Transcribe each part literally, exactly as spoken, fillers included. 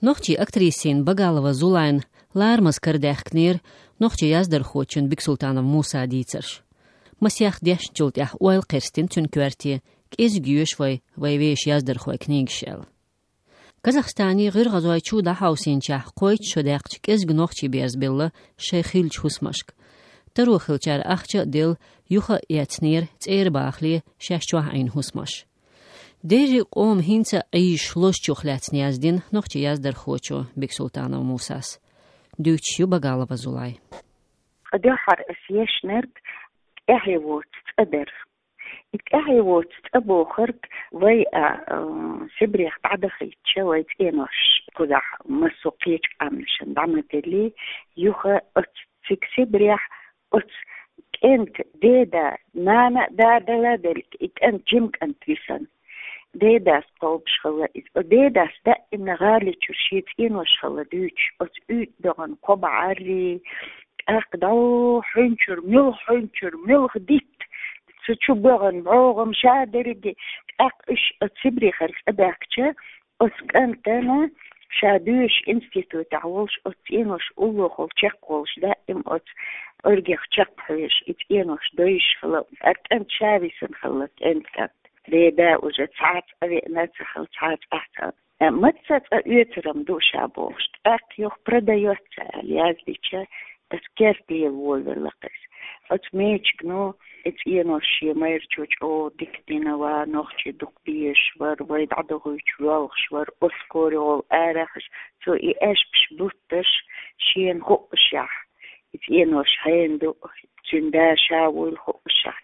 Нохчийн актрисин Багалова Зулайн ларамаза карадаьхкинера нохчийн яздархочун Бексултанов Мусан дийцарш. Масех дешначул тӀехьа ойла кхерстина цуьнан коьрте «КӀезига йоьшу вай, вай вешан яздархойн книгаш» аьлла. Казахстане гӀиргӀазой чу дӀахьовсийначохь кхойтта шо даьккхача кӀезига нохчий берзабелла шайн хиллачу хӀусамашка. Таро хиллачара ахча а делла, юха а эцнера цӀера бахале шаьш чохь Ӏийна хӀусамаш. Дерриг а къоман хӀинца а Ӏийш лозучух лаьцна яздина нохчийн яздархочо Бексултанов Мусас. Дуьйцуш ю Багалова Зулай. Ткъа дуьххьара ас ешнарг тӀаьхье воцу цӀа дара. И тӀаьхье воцу цӀа бохург вай а, а, Сибрех дӀадахийтча, вай цӀенош кхузахь массо а кхечу къаьмнашна дӀа ма делли, юха оцу цига Сибрех оцу кӀентан деда, нана а, дада а ладеллиг, и кӀант жима кӀант висина. Дедас кхобуш хилла иза. Дедас даима гӀали чуьра шен цӀенош хилла дуьйцуш, оцу уьйтӀа бегӀана кхо бӀарри, тӀаккха дӀо хьуьнчуьра, муьлха хьуьнчуьра, муьлха дитта, цу чу бегӀана бӀогӀам, ша дерриге, тӀаккха уьш оцу Сибрехара цӀа баьхкича, оцу кӀантана ша доьшуш институтехь волуш, оцу цӀенош уллохула чекхволуш, даима оцу Ӏуьргех чекххьоьжуш, и цӀенош дойуш хилла, ара кӀант ша висина хилла, кӀентан кӀант. Деда уже цхьацца а веана ца хилла, цхьацца а ца. Э, маца цкъа оьцурам ду ша бохуш, тӀаккха юха продаётца аьлла яздича, аса керта лела волавелла-кх иза. Оцу мечигано и цӀенош шен майрачо чӀогӀа дика дина ван, нохчий дукха безаш вара, вай дӀадохуьйтуш воьлхуш вара, оскоригӀолла арахьаш, цо и аьшпаш буттарш шена хуъушехь, и цӀенош хьенан ду, цуьнан да ша вуйла хуъушехь.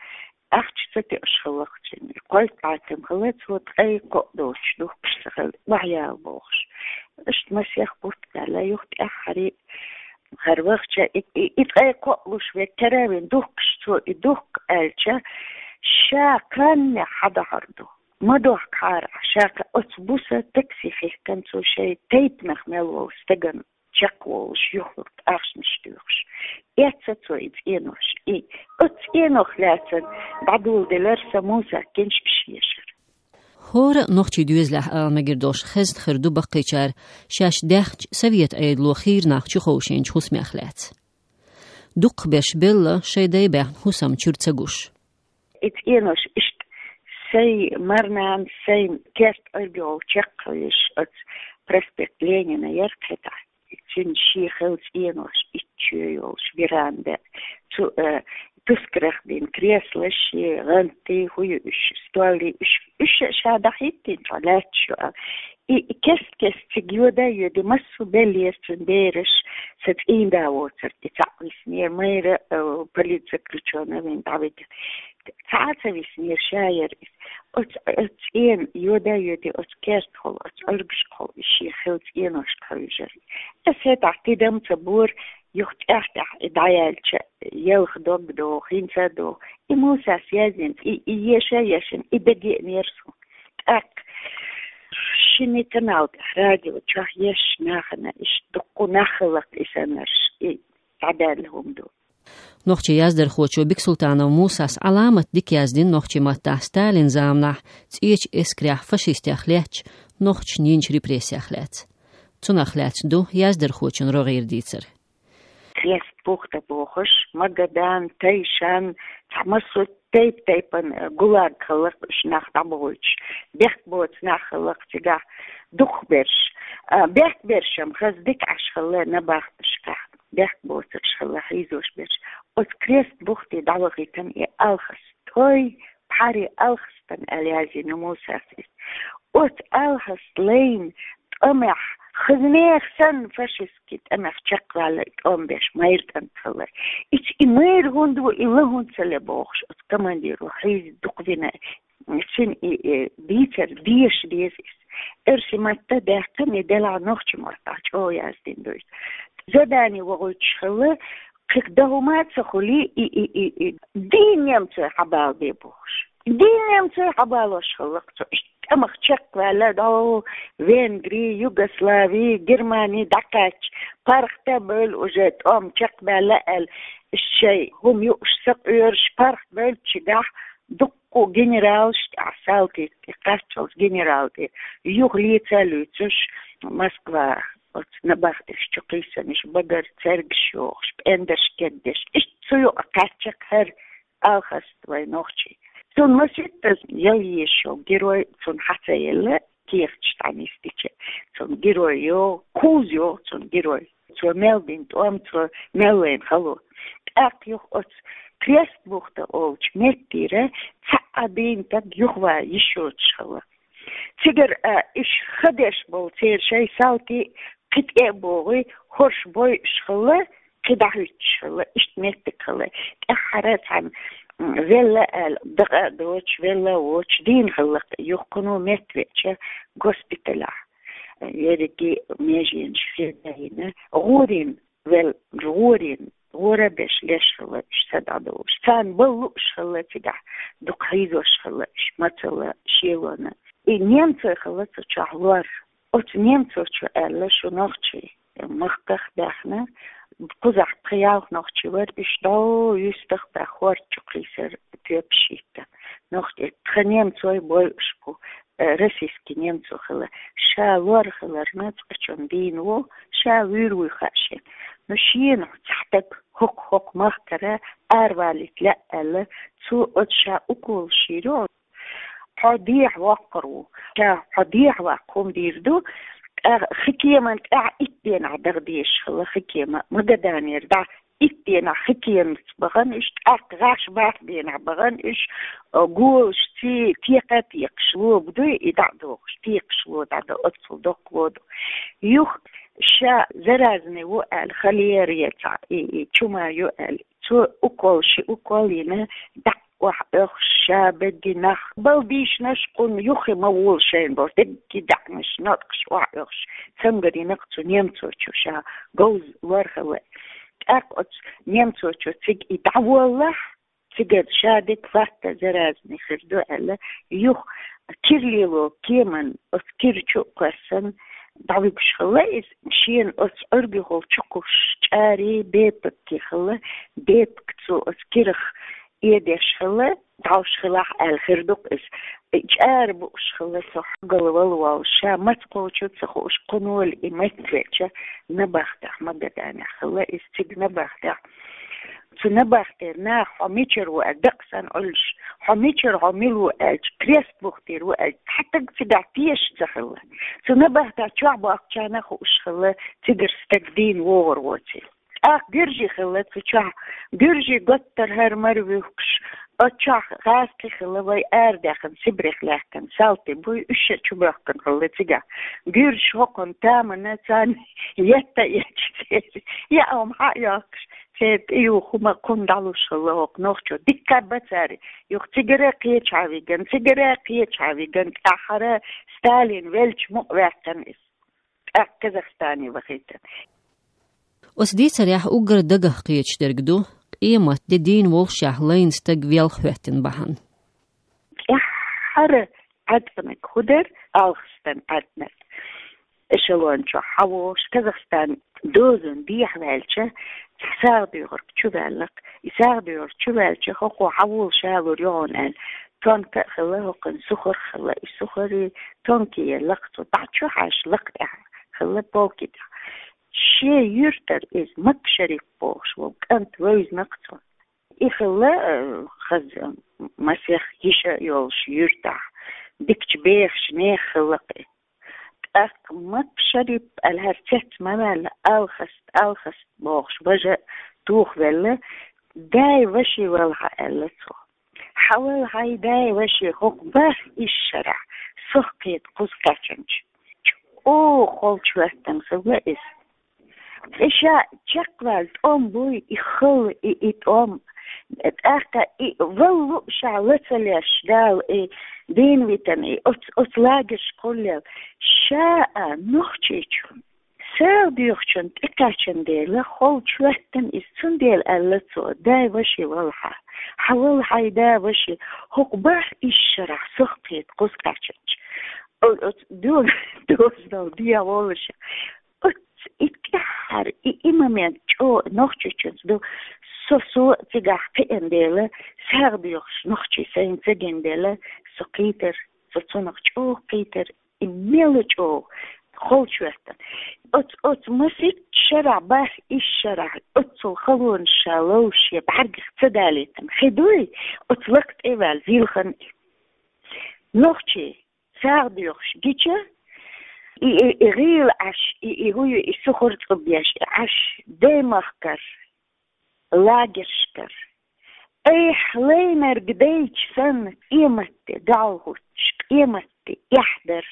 Ахча ца тоьуш хилла-кх цуьнан. Кхойтта Ӏатам хилла, цо ткъе кхоъ доцуш духкуш ца хилла, охьаяла бохуш. Иштта масех бутт баьлла, юха тӀаьххьара хӀара вахча и, и, и ткъе кхоъ луш верг кара а вина духкуш, цо и духку аьлча, ша кханнехь хьадахьар ду. Ма дохкахьара, ша кха-, оцу буса такси хихкан цо шайн тайпанах мел волу стагана чекхволуш, юххург ахчанаш туьйхуш. Эцна цо и цӀенош. И оцу цӀенох лаьцна дӀадоладелира сан Мусас книшкаш ешар. ХӀора а нохчийн доьзалехь ала мегар долуш хезна хир ду баккхийчара шаьш даьхначу Совет Ӏедало хийра нах чуховшийначу хӀусамех лаьцна. Дукхахберш белла шайн дай баьхна хӀусам чуьра ца гуш. И цӀенош иштта сайн марнана, сайн керта Ӏуьргехула чекххьоьжуш оцу проспект Ленина яра кхетахь. Цуьнан шен хилла цӀенош, итт чоь йолуш, веранда. Цу, э, тускарах бина креслаш, гӀантий, хӀу ю уьш, столлий, уьш, уьш ша дӀахӀиттийна чохь лаьтташ ю аьлла. И, и кест-кест цига йода а йоьди, массо а беллера цуьнан бераш, сан цӀийнда воцург, и цхьаъ виснера, майра, э, политзаключённый вина дӀавига. Цхьа а ца виснера, ша яра иза. Оцу, оцу цӀена йода а йоьди, оцу кертахула, оцу Ӏуьргашкахула и шен хилла цӀеношка хьуьйжура. Аса хӀетахь тидам ца бора, юха тӀаьхь-тӀаьхь и дӀаяьлча, ялх дог а догӀу, хӀинца а догӀу. И Мусас яздина, и, и еша а ешна, и дагеънера суна. ТӀаккха шина канал тӀехь радио чохь еш нахана, иштта дуккха нах хилла-кх и санарш, и дӀадаьлла хӀума ду. Нохчийн яздархочо Бексултанов Мусас Ӏаламат дика яздина нохчийн маттахь Сталинан заманахь цӀечу эскарехь фашистех леттачу нохчашна йинчу репрессех лаьцна. Цунах лаьцна ду яздархочун рогӀера дийцар. Крест бухта бохуш, Магадан, Тайшан, цхьа массо а тайп-тайпана, э, гулаг хилла-кх уьш нах дӀабохуьйтуш. Бехк боцу нах хилла-кх цигахь дукхахберш. А, бехк бершам хаза дика Ӏаш хилла набахташкахь. Бехк боцурш хилла хьийзош берш. Оцу крест бухте дӀавахийтина и алхас. Той пхьари алхастан аьлла яздина Мусас иза. Оцу алхас лайна тӀамехь, хаза меха санна фашистский тӀамехь чекхваьлла и тӀом беш майра кӀант хилла. Ица и майра хӀунда ву, и ла хӀунда ца ле бохуш, оцу командиро хьийза дукха вина. Цуьнан и, и дийцар деша деза иза. Оьрсийн матта даьккхина, и делахь нохчийн маттахь чӀогӀа яздина ду иза. Задани вохуьйтуш хилла, кхин дан хӀума а ца хуьлий, и, и, и, и, дийна немцой хьабалабе бохуш. Дийна немцой хьабалош хилла-кх цо. Иштта тӀамах чекхваьлла, дӀо Венгри, Югослави, Германи дӀакхаьчча, паргӀат а бевлла уже тӀом чекхбаьлла аьлла, шайн хӀума юуш сакъоьруш, паргӀат бевллачигахь дуккха дуккха генералаш тӀехь, салтий тӀе кхаччалц генерал тӀе, юха леца а луьйцуш, Москва, оцу набахтеш чу кхийсанаш, багара цергаш йохуш, пӀендарш кегдеш, иштта цу юкъа кхаьчча хӀара алхаста вай нохчий. Цунна маситтаза ял езаш йолу герой цунна хьа ца елла, кехаташ дӀанисдича, цунна герой йогӀу, кхузза йогӀу цунна герой. Цо мел дина тӀом, цо мел лайна хало. ТӀаккха юха оцу Крест-Бухта олучу меттера цхьа а дийна стаг юхаван йиш йоцуш хилла. Цигара а, уьш ха деш болу церан шайн салтий кхин тӀе а богӀий, хӀорш бойуш хилла, кхин дӀахӀуьттуш хилла, иштта меттиг хилла. ТӀаьххьара цхьаьна, м, велла аьлла, дакъа а доцуш, велла а воцуш, дийна хилла, юха кхуьнан метта веача госпиталехь. Ерриге меженаш хедийна, гӀорийна, велла, гӀорийна, гӀора а беш леш хилла уьш са дӀадолуш. Царна бала лууш хилла цигахь, дукха хьийзош хилла уьш мацалла, шелонна. И немцой хилла цу чохь лор. Оцу немцочо аьлла, шу нохчий махках а баьхна, кхузахь тхан ялх нохчий вара, уьш дӀо юьстах баьхна хӀорда чу кхийсира тоьпаш хӀиттина. Нохчий, тхан немцой бойуш бу, э, российский немцо хилла. Ша лор хиларна цкъачунна дийна ву, ша вуьйр вуй хаьа шена. Ну, шена цхьа стаг хӀокху-хӀокху махкара аравалийта лаьа аьлла, цо оцу ша укол йийр ю, хьо дехьа воккхур ву. Ша хьо дехьа ваккха хӀума дийр ду, тӀаккха хи кеман тӀехь итт денахь даха дезаш хилла, хи кема Магаданера дӀа итт денахь хи кемаца бахана уьш, тӀаккха гӀаш бархӀ денахь бахана уьш, голаш ци-, текха а текхаш лоба дуй, и дӀа а дохуш, текхаш ло дӀадо, оццул доккха ло ду. Юха ша заразный ву аьлла, холера я цхьа, и, и чума ю аьлла, цо укол, ши укол йина, дӀа охьаоьхуш, ша бегги нах балбийшинарш кхунна юххе ма волу шайна бохуш, дегги даьӀнаш, ноткъаш охьаоьхуш, цамгар йина-кх цу немцочо ша говза лор хилла. ТӀаккха оцу немцочо цига и дӀаволлахь, цигара ша дерг хӀотта заразный хир ду аьлла, юха кира лело кеман оцу кира чу а кхоьссина, дӀавуьгуш хилла иза, шена оцу Ӏуьргехула чу кхуссуш чӀарий бепаггий хилла, бепаг цо оцу кирах эдеш хилла, дӀовш хилахь аьлла хир ду-кх иза. И чӀара бууш хилла цо хьогалвала воллуш, ша маца кхочу а ца хууш, кхуноле и меттавеача, набахтехь, Магаданехь хилла иза, цига набахтехь. Цу набахтера наха хьо мичара ву аьлла, дакъа санна Ӏуьллуш, хьо мичара, хьо мила ву аьлча, Крест-Бухтера ву аьлча, цхьа стаг цигахь тешаш ца хилла. Цу набахта чохь боккхучарна а хууш хилла, цигара стаг дийна вогӀур воций. ТӀаккха гуьржий хилла цу чохь. Гуьржий готтара хӀара-мара вуьхкуш, оцу чохь гӀазкхий хилла, вай арадаьхна Сибрех лаьттина салтий буй, уьш а чубоьхкина хилла цигахь. Гуьржаша хӀокхунна тамана царна етта а етташ церан яа хӀума хьа а йоккхуш, церан тӀеюху хӀума кхунна дӀалуш хилла хӀокху нохчо. Дика кхаьбна цара, юха цигара а кхечахьа вигна, цигара а кхечахьа вигна, тӀаьххьара Сталин велча мукъа ваьккхина иза. ТӀаккха Казахстане вахийтина. Оцу дийцарехь уггар дагах кхеташ дерг ду, къематде дийна волушехь лайна стаг велха хӀоьттина бахьана. ТӀаьххьара Ӏаьткъинарг хӀун дара, Алхастан Ӏаьткъинарг. Эшелон чохь хьавогӀуш, Казахстан дозанна дехьаваьлча, цхьа сагӀа доьхург чуваьлла-кх. И сагӀа доьхург чуваьлча, хӀокхо хьаволуш алур ю хьуна аьлла, тонка а хилла, хӀокхуьнан сухар а хилла, и сухарий тонкий лакха цо дӀа чу хьаьжча, лакха тӀехь хилла, полки тӀехь. Шен юьртара иза Макка-Шарип бохуш волу кӀант вевзина-кх цо. И хилла, э, хаза, масех йиша йолуш юьртахь, дикачу бехачу нехан хилла-кх и. ТӀаккха Макка-Шарип аьлла, хӀара цец ма ваьлла, Алхаст, Алхаст бохуш, важа тухавелла, дай ваши валахьа аьлла цо. Хьан валахьа, дай ваши, хӀокху бархӀ исс шарахь сох кхета кхуза кхаьчначу. ЧӀогӀа холчу хӀоьттина хилла иза. И ша чекхваьлла тӀом буй, и хала, и, и тӀом. ТӀаккха и вала луъушехь ла ца леш Дала, и дийна витина, и оц-, оцу лагершка кхуллел. Ша а нохчичун, сагӀа доьхучун тӀекхаьчна дела, холчу хӀоьттина иза. Цундела аьлла цо, дай ваши валахьа. Хьан валахьа, дай ваши, хӀокху бархӀ исс шарахь сох кхета кхуза кхаьчначу. О-, оцу ду-, дозанал дехьа волуш. Оцу и тӀаьххьара, и, и момент чӀогӀа нохчичунца ду. Со, со цигахь кхиъна дела, сагӀа доьхуш нохчий сайна ца гина дела, со кхийтар, со цунах чӀогӀа кхийтар, и мела чӀогӀа холчоьттан. Оцу, оцу масийтта шарахь, бархӀ исс шарахь, оццул халонаш ша ловш я бӀаьргах ца далийтина хи дуй, оцу лакха тӀе а ваьлла, зилхан и. Нохчий сагӀа доьхуш гича, и, и, и гӀийла Ӏаш, и, и хӀу ю, и сухар цӀуб еш, и Ӏаш, даймахкар, лагершкар. Айхьа лайнарг дайча санна, къематде дӀахӀуттуш, къематде эхь дар,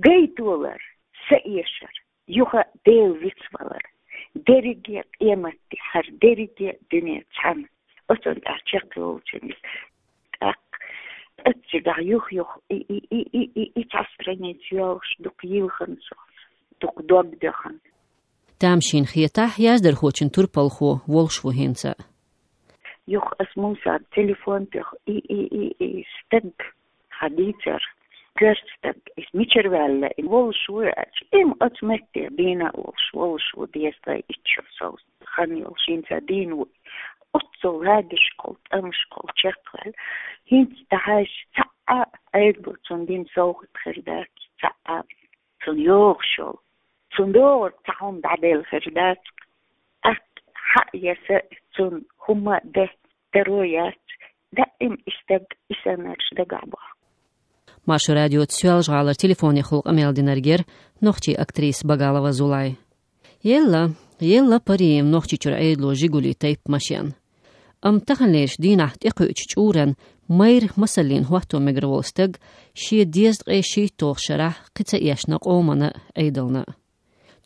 гайтолар, са эшар, юха Дела вицвалар. Дерриге къематде, хӀара дерриге дуьне цхьаьна. Оцунна тӀехь чекхйолучун иза. ТӀаккха оццигахь юх-юх и, и, и, и, и, и цхьа страница йоьлхуш дукха йилхина со, дукха дог доьхна. Тамашийна хетахь, яздархочун турпалхо волуш ву хӀинца а. Юха ас Мусас телефон тоьхна, и, и, и, и стаг хьан дийцар, коьрта стаг, иза мичара ваьлла, и волуш ву аьлча, и-м оцу метте дийна а волуш, волуш ву дезткъе итт шо сов хан йолуш, хӀинца дийна ву. Оццул лагершкахула, тӀамашкахула чекхваьлла. ХӀинца тахьаьжча цхьа а Ӏедало цунна дина совгӀат хир дац, цхьа а. Цунна йогӀуш йолу, цунна догӀург цхьа хӀума дӀаделла хир дац. ТӀаккха хьаъ я са цунна хӀумма а де, таро яц, даим и стаг и саннарш дагахь боху. Маршо радиоца Соьлжа-ГӀалара телефонехула къамел динарг яра нохчийн актриса Багалова Зулай. Елла, елла парий нохчийчуьра Ӏедало «Жигули» тайпа машен. Амма таханлерчу дийнахь тӀекхуьучу чкъуран майра масаллин хӀотто мегар волу стаг шен дезткъе шийтталгӀачу шарахь кхин ца эшна къоманна а, Ӏедална а.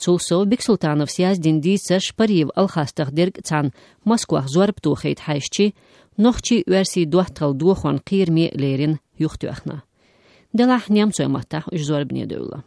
Цул сов Бексултановс яздина дийцарш Париев Алхас тахдерг цхьана Москвахь зорба тохийта хьаьжчи, нохчий-оьрсий доттагӀалла дохорна кхераме а лерина юхатоьхна. Делахь немцойн маттахь уьш зорбане девлла.